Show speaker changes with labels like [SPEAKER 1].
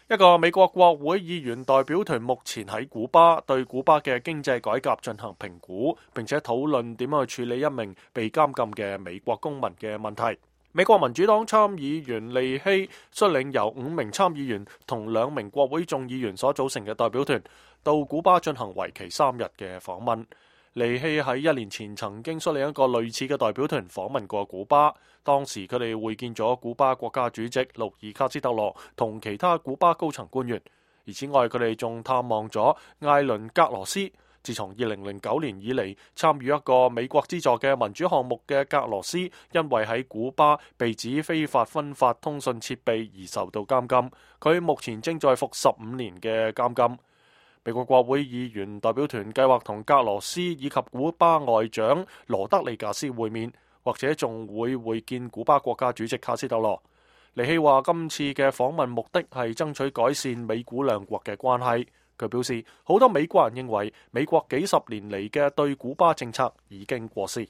[SPEAKER 1] 一個美國國會議員代表團目前喺古巴對古巴嘅經濟改革進行評估，並且討論點樣去處理一名被監禁嘅美國公民嘅問題。美國民主黨參議員利希率領由5名參議員同2名國會眾議員所組成嘅代表團到古巴進行為期3日嘅訪問。利希喺1年前曾經率領一個類似嘅代表團訪問過古巴，當時佢哋會見咗古巴國家主席盧爾卡斯特羅同其他古巴高層官員。而此外，佢哋仲探望咗艾倫格羅斯。自從2009年以嚟，參與一個美國資助嘅民主項目嘅格羅斯，因為喺古巴被指非法分發通訊設備而受到監禁。佢目前正在服15年嘅監禁。美國國會議員代表團計劃同格羅斯以及古巴外長羅德里格斯會面，或者仲會見古巴國家主席卡斯特羅。尼希話今次嘅訪問目的係爭取改善美古兩國嘅關係。佢表示，好多美國人認為美國幾十年嚟嘅對古巴政策已經過時。